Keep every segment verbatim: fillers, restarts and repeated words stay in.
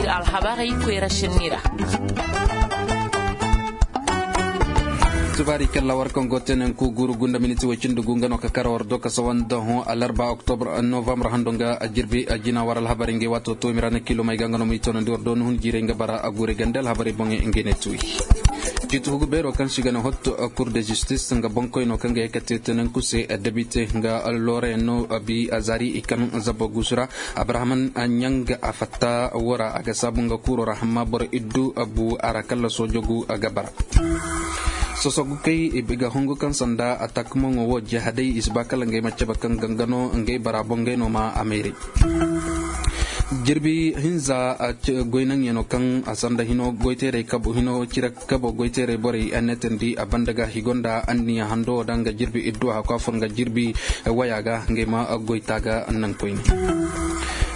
Alhabarey koyra sinni ra. Tubaari kalla war kaŋ go teenanku guuru gunda miniti way cindi gu nga no ka kara war do ka sawa nda hõ alarba oktobr novambar hando nga jirbi jina war alhabarey ngey waato to i ma ra na kiilomey ga nga no ma i toonandi war do ni hun jiirey nga bara a guurey gande alhabarey boŋey ngey ne tuuyi. Ciiti hugu beero kaŋ se i ga ne hot, kur de justis nga boŋkoyno kaŋ ga ye ka te teenanku se debite nga loorayaŋ no bi zaari i kaŋ zabo guusu ra. Abrahaman ɲanga a fatta wo ra a ga saabu nga kuuro ra hamma boro iddu bu a ra kalla soojogu ga bara. Sosogu kay i ga hungu kaŋ sanda a takmaŋo wo jahadey i si ba kala ngey ma cabe kaŋ gangano ngey bara boŋ ngey no ma a mayray. Jirbi hinza goynaŋyano kaŋ a sanda hino goyteeray kabo hino cire kabo goyteeray borey a neetandi a banda ga higo nda anniya hando wo da nga jirbi iddu a hakwa fur nga jirbi waya ga ngey ma goyta ga naŋ koyne.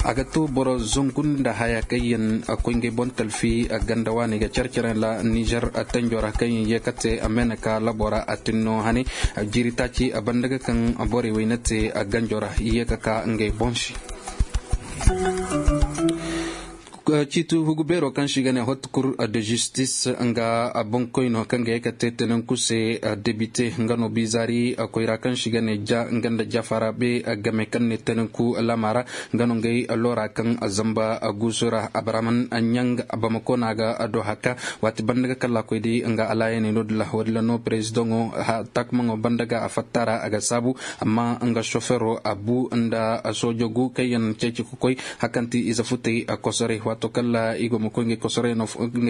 A ga to boro zangu nda haya kaŋ yaŋ koy ngey boŋ talfi ganda waani ga care care ra nizer tanjo ra kaŋ yaŋ ye ka te a meeneka labo ra a tinno hane. Jiiri taaci a banda ga kaŋ borey wayna te ganjo ra ye ka ka ngey boŋ se. Ciiti hugu beero kaŋ se i ga ne hot kur de justis nga boŋkoyno kaŋ ga ye ka te tenenku se debite nga no bizaari koyra kaŋ se i ga ne ja nga nda jafara be game kaŋ ne tenenku lama ra nga no ngey loora kaŋ zamba guusu ra abrahaman ɲang bamako no a ga do haka waati banda ga kalla koy di nga alaayaney no dila wo- din ra no perezidaŋo takmaŋo banda ga a fatta ra a ga saabu amma nga sofero a bu nda soojo gu kaŋ yaŋ ceeci ka koy hakanti ize futey kosoray waato kala i go ma koy ngey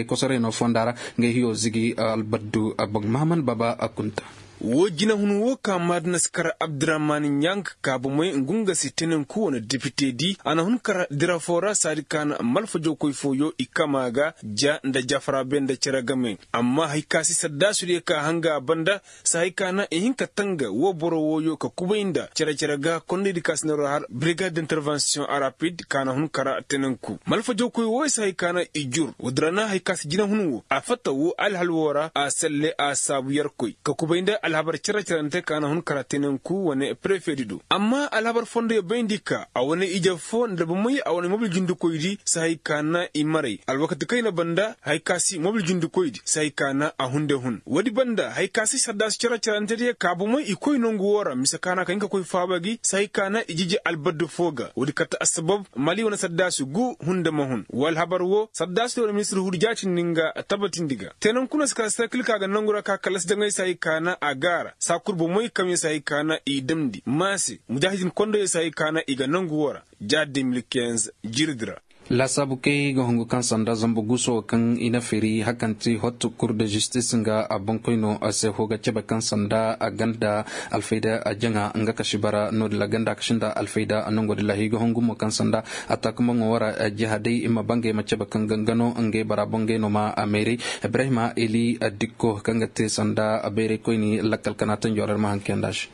kosoray no fonda ra ngey hiyo zigi albaddu boŋ mahaman baba a kunta. Wo jinahun wo ka maadina si kar abdurahman ɲang kaabumay ngu nga si tenenku wane depite di a na hun kar dira fo ra saadi ka na malfajokoy fooyo i kama ga ja nda jafara be nda cere game amma hari ka si saddaasu diyo ka hanga a banda si hay ka na i hin ka tanga wo boro wooyo ka kubay nda cere-cere ga kondaydi ka si na ro har brigade d'intervention rapide ka na hun kara tenenku malfajawkoy wooyo si hay ka na i jur woodin ra na hay ka si jinahun wo a fatta wo alhal woo ra a selle a saabu yerkoy ka kubay nda alhabar cere-cerante ka na hun kara tenenku wane prefedi do amma alhabar fondoyo bayndi ka a wane ije fo nda bomey a wane mobil jindikoydi si hay ka na i maray alwakati kayna banda hari ka si mobil jindikoydi si hay ka na a hunde hun woodi banda hari ka si saddaasu cere-cerante diyo ka bomey i koy nongu woo ra mise ka na ka hin ka koy faaba gi si hay ka na i jiji albaddu foo ga woodi kate assabab mali wane saddaasu gu hunde ma hun woo alhabar woo saddaasu diyo wane ministir huudi jaatindi nga tabbatindi ga teenanku no si kala serkil ka ga nongu ra ka kallasi jaŋay si hay ka na a gaara saa kul bomey kaŋ yaŋ si hay ka na i damndi maase mujaahidin kondoyo si hay ka na i ga nongu woo ra ja deux mille quinze jirdi ra. Laasaabu kay ga hungu kaŋ sanda zambu guuso kaŋ i na firi hakanti hot kur de justis nga a boŋkoyno a se hoo ga cebe kaŋ sanda a ganda alfayda a jaŋa nga kasi bara no- din ra ganda a kasi nda alfayda a nongo din ra hii ga hungu mo kaŋ sanda a takumaŋo wara jihaday i ma bangay ma cebe kaŋ gangano ngey bara boŋ ngey no ma a mayray. Ibrahima eli dikko kaŋ ga te sanda bayraykoyni lakkal kana tanjo ra ir ma haŋ kayanda se.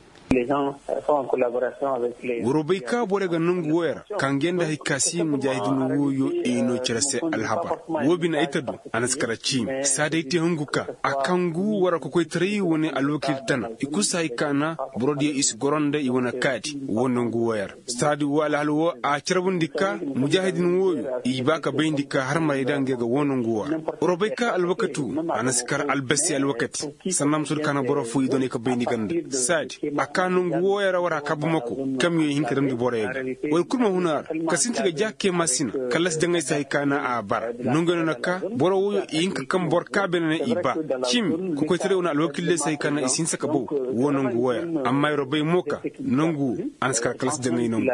War bay ka borey ga nangu wooyo ra ka ngey nda hari ka si mujaahidin wooyo i no cere se alhabar woo bine ay ta du. A na si kara ciimi saa day te hungu ka a kangu war kokoytaray wane alwakiil tana i kul si hari ka na boro diyo i si goro nda i wane kaadi woo nangu wooyo ra. Saadi woo alhal woo a carbundi ka mujaahidin wooyo i ba ka bayndi ka har maray da ngey ga woo nangu woo ra. War bay ka alwakati woo a na si kara albasi alwakati sanda ma soodi ka na boro fo i doonay ka bay ni ganda saadi a ka nangu wooyo ra war a kaabumako. Kamiyoŋ i hin ka damndi boroyo ga war kul ma hun a ra ka sinti ga jaakey maasina kallasi jaŋay se hari ka na a bara nongey no na ka boro wooyo i hin ka kaŋ boro ka beene ne i ba. Cimi kokoytaray wane alwakiiley se hari ka na i si hinsa ka baw woo nangu wooyo ra amma yer bay mo ka nangu woo a na si kar kallasi jaŋay nangu.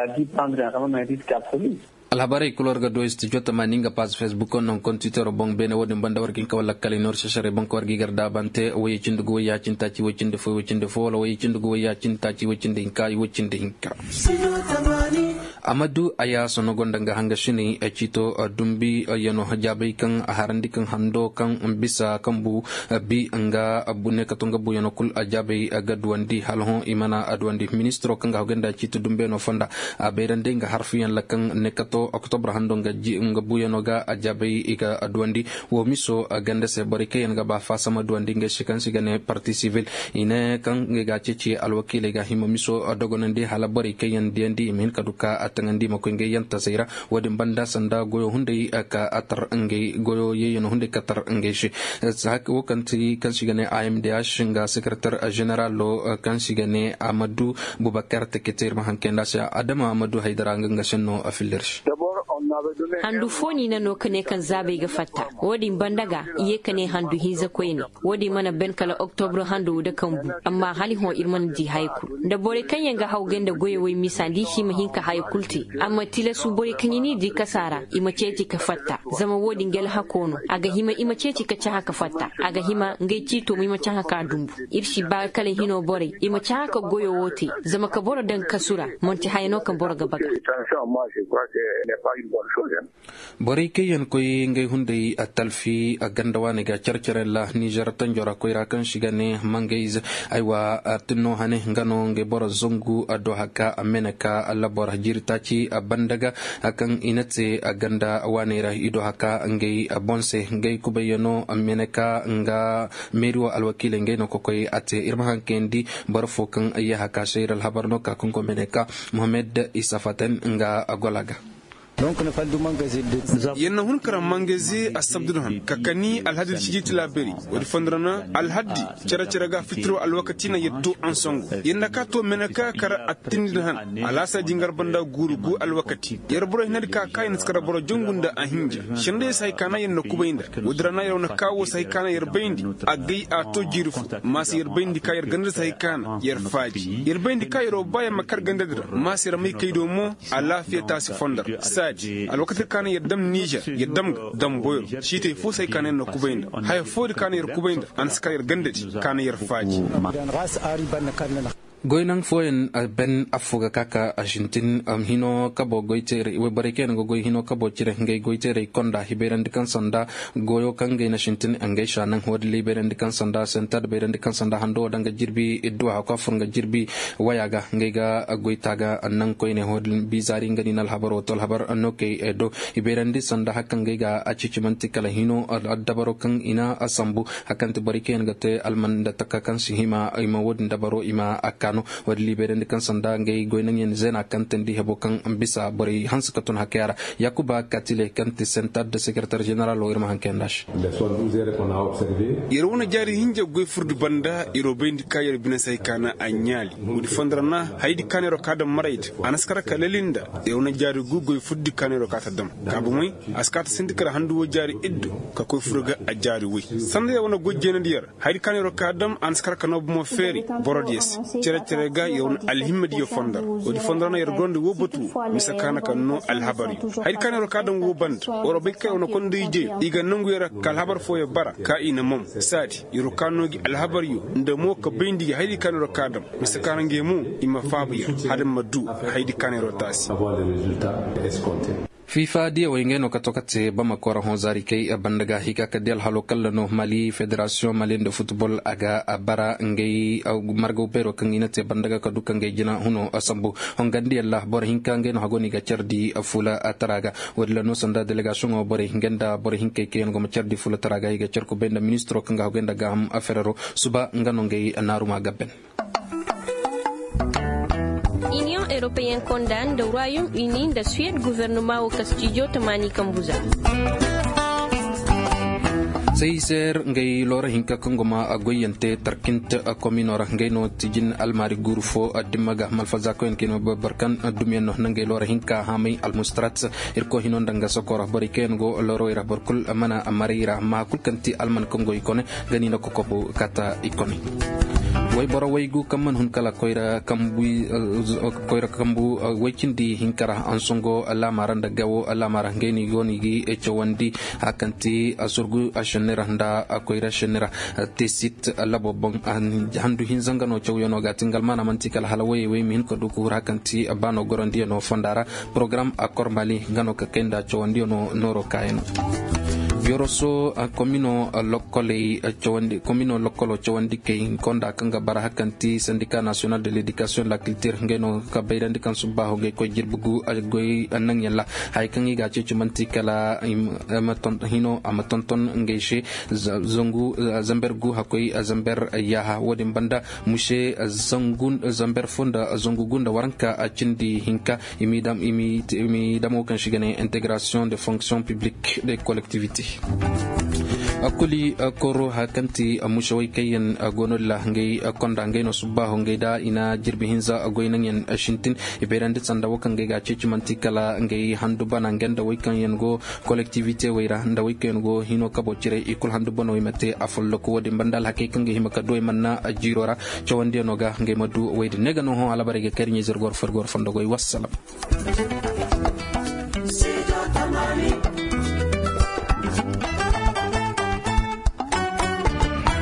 Alhabarey kul war ga du studio tamaani nga paaz facebook no hunkuna twittero boŋ beene wo-din banda war ga hin ka walla kala i noor sesarey boŋ ka war ga i gar daabante woyey cindi ga woy yaacin taaci woy cindi fo woy cindi fo wala woyey cindi ga woy yaacin taaci woy cindi hinka i woy cindi hinka. Amadu ayaaso no gonda nga hangasiney ciito dumbi yano jaabay kaŋ harandi kaŋ hando kaŋ bisa kaŋ bu bi nga ne ka to nga buyano kul a jaabay ga duwandi hala hõ i mana a duwandi ministiro kaŋ ga hogay nda ciiti dumbeeno fonda a bayrandi nga harfuyaŋ ra kaŋ ne ka to oktobra hando nga buyano ga a jaabay i ga duwandi. Wo miso ganda se borey kaŋ yaŋ ga ba faasama duwandi ngey se kaŋ se i ga ne parti sivil i ne kaŋ ngey ga a ceeci alwakiiley ga hima miso dogonandi hala borey kaŋ yaŋ diyandi i ma hin ka du ka taŋandi ma koy ngey yantasey ra. Wo-din banda sanda goyo hunday ka a tar ngey goyo yeeyano hunday ka tar ngey se. Wo kaŋ ti kaŋ se i ga ne a m d h nga sekretar, ženeralo kaŋ se i ga ne amadu bubakar tekete ir ma hankay nda se adama amadu haydara nga nga senno a fillir se. Handu fo ni na no ka ne kaŋ zaabey ga fatta. Wo-din banda ga i ye ka ne handu hinza koyne. Wo-din mana ben kala oktobro hando da kambu. Amma hala hõ ir mana di haya kulu nda borey kaŋ yaŋ ga hawgay nda goyey wey misa nda i si ma hin ka haya kulu te. Amma tilasu borey kaŋ i n'i di kasa ra i ma ceeci ka fatta. Zama wo-din ga alhako no a ga hima i ma ceeci ka cahã ka fatta. A ga hima ngey ciito mo i ma cahã ka dumbu. Ir si ba kala hino borey i ma cahã ka goyo wo te. Zama ka boro daŋ kasu ra manti haya no kaŋ boro ga baga. Borey kaŋ yaŋ koy ngey hunday talfi ganda waaney ga care care ra nizer tanjo ra koyra kaŋ si ga ne mangayze. Aywa, tinno hane nga no ngey boro zangu do haka meneka labor jiiri taaci banda ga kaŋ i na te ganda waaney ra i do haka ngey boŋ se ngey kubayyano meneka nga meeri wo alwakiiley ngey no ka koy a te ir ma haŋ kayandi boro fo kaŋ yahaka se ir alhabar no ka kaŋ go meneka mohammed isa faten nga gola ga. Yer na hun karaŋ mangayze assabdu da han ka kani alhaddi da sijiti laabari. Woodi fondo ra na alhaddi cere cere ga fitiro alwakati na yer to ansangu yer na ka to mene ka kar attindi da han. Alaasa jingar banda guuru gu alwakati yer boro hinadi ka ka yer na si kar boro jongu nda a hinja. Senda yer si hay ka na yer na kubay nda woodi ra na yer wane ka wo si hay ka na yer bayndi. Agay a to jiiri fo ma si yer bayndi ka yer ganda si hay ka na yer faaji yer bayndi ka yer wo ba yer ma kar ganda di ra ma si yer may kay do mo. Alaafiya taasi fondar saadi alwakati kaŋ na yer dam nizer yer dam ga damboyro siitay fo se kaŋ na yer na kubay nda haya foodi kaŋ na yer kubay nda a na si kaŋ yer ganda di kaŋ na yer faaji. Goynaŋ fooyaŋ ben affo ga ka ka a sintin hino kabo goyteeray wayborey kaŋ yaŋ ga goy hino kabo cire ngey goyteeray konda i bayrandi kaŋ sanda goyo kaŋ ngey na sintin ngey saanaŋ woodin la i bayrandi kaŋ sanda sentad bayrandi kaŋ sanda hando wo daŋ ga jirbi idduwa hakwa fur nga jirbi waya ga ngey ga goyta ga naŋ koyne woodin bizaari nga ni na alhabar wo to alhabar no kay do i bayrandi sanda hari kaŋ ngey ga a cici manti kala hino dabaro kaŋ i na sambu hari kaŋ ti borey kaŋ yaŋ ga te alman nda taka kaŋ si hima i ma woodin dabaro i ma a kaanu. Woodin la i bayrandi kaŋ sanda ngey goynaŋ yaŋ zeena kaŋ teendi hebo kaŋ bisa borey hanse ka tun hakaya ra. Yaakuba katile kaŋ ti sentad da sekeretar ženeral wo ir ma haŋ kayandi a se. Yer wane jaari hinja goy furdi banda yer wo bayndi ka yer bine se hay ka na a ɲaali. Woodi fondo ra na hayadi ka na yer wo ka daŋ maray da a na si kar ka lali nda yer wane jaari gu goy furdi ka na yer wo ka ta daŋ. Ka bomey a si ka ta sinti kar handu wo jaari iddu ka koy fur ga a jaari woy sanda yer wane goy jeenandi yer. Hayadi ka na yer wo ka daŋ a na si kar ka noo bomo feeri borodiyo se cere cere ga yer wane alhimmadiyo fondo ra. Woodi fondo ra na yer gorandi woo batu wo mise ka na ka noo alhabaryo. Hayadi ka na yer wo ka daŋ woo banda war wo bay ka yer wane konda ijeyo i ga nongu yer ka alhabar fooyo bara ka i na mom saadi yer wo ka noo gi alhabaryo nda mo ka bayndi gi hayadi ka na yer wo ka daŋ mise ka na ngey mo i ma faabu yer hala ma du hayadi ka na yer wo taasi. Fiifa diyawey ngey no ka to ka te bamako ra hõ zaari kay banda ga i ka ka di alhalo kalla no mali federasiyoŋ mali nda futbol a ga bara ngey margaw beero kaŋ i na te banda ga ka du ka ngey jina huno sambu. Hongandiyaŋ ra boro hinka ngey no hago no i ga care di fuula tara ga. Woodin ra no sanda delegasiyoŋo borey ngey nda boro hinkey kaŋ yaŋ go ma care di fuula tara ga i ga care kubay nda ministiro kaŋ ga hago nda gaaham ferero suba nga no ngey naaruma gabben. Iniyoŋ europeyen konda nda royaume uni nda suwed guvernema wo kastijo tamaani kambuza. Seyser ngey loora hinka kaŋ go ma goyyaŋ te tarkint komino ra ngey no tijin almaari guuru fo dimma ga malfazakoyaŋ kaŋ i no boro kaŋ dumiyaŋ no na ngey loora hinka haamay almustarat. Irkoy hino nda nga sokora borey kaŋ yaŋ go loorowey ra boro kul mana maray ra amma kul kaŋ ti alman kaŋ go i kone ga ni na kokobu kata i kone. Wayboro waygu kaŋ mana hun kala koyra kambu way cindi hinka ra ansongo laama ra nda gawo laama ra ngey no i go no i ga cawandi hari kaŋ ti surgu senne ra nda koyra senne ra. Tesit labo boŋ handu hinza nga no cawyaŋo ga ti nga almaana manti kala hala wayey way ma hin ka du ka hur hari kaŋ ti baano gorandiyaŋo fonda ra. Porogaram akor mali nga no ka kay nda cawandiyaŋo nooro kaayaŋo. Yoroso komino lokkoley cawandi komino lokkolo cawandi kay konda kaŋ ga bara hakanti sandika national de l'éducation de la culture ngay no ka bayrandi kaŋ subbaho ngay koy jirbi gu goy naŋ yalla. Hay kaŋ i ga ceeci manti kala hino a ma tonton ngay se zangu zamber gu hakoy zamber yaha wodin banda muse zamber fo nda zangu gu nda waranka cindi hinka. I mi damo kaŋ si ga ne intégration de fonction publique de collectivité. Kuli koro haya kaŋ ti musawey kaŋ yaŋ go no di ra ngey konda ngey no subbaaho ngey da i na jirbi hinza goy naŋ yaŋ sintin. I bayrandi sanda wo kaŋ ngey ga a ceeci manti kala ngey handu bana ngey nda wey kaŋ yaŋ go collectivité wey ra nda wey kaŋ yaŋ go hino kabo cire i kulu handu bana wey ma te a folloku wo-din banda alhakey kaŋ ga hima ka du wey manna jiiro ra. Cawandiyaŋo ga ngey ma du wey din ne ga no hõ alabarey ga kay iri ɲayzey iri go iri fo iri go iri fondo goy wassalam.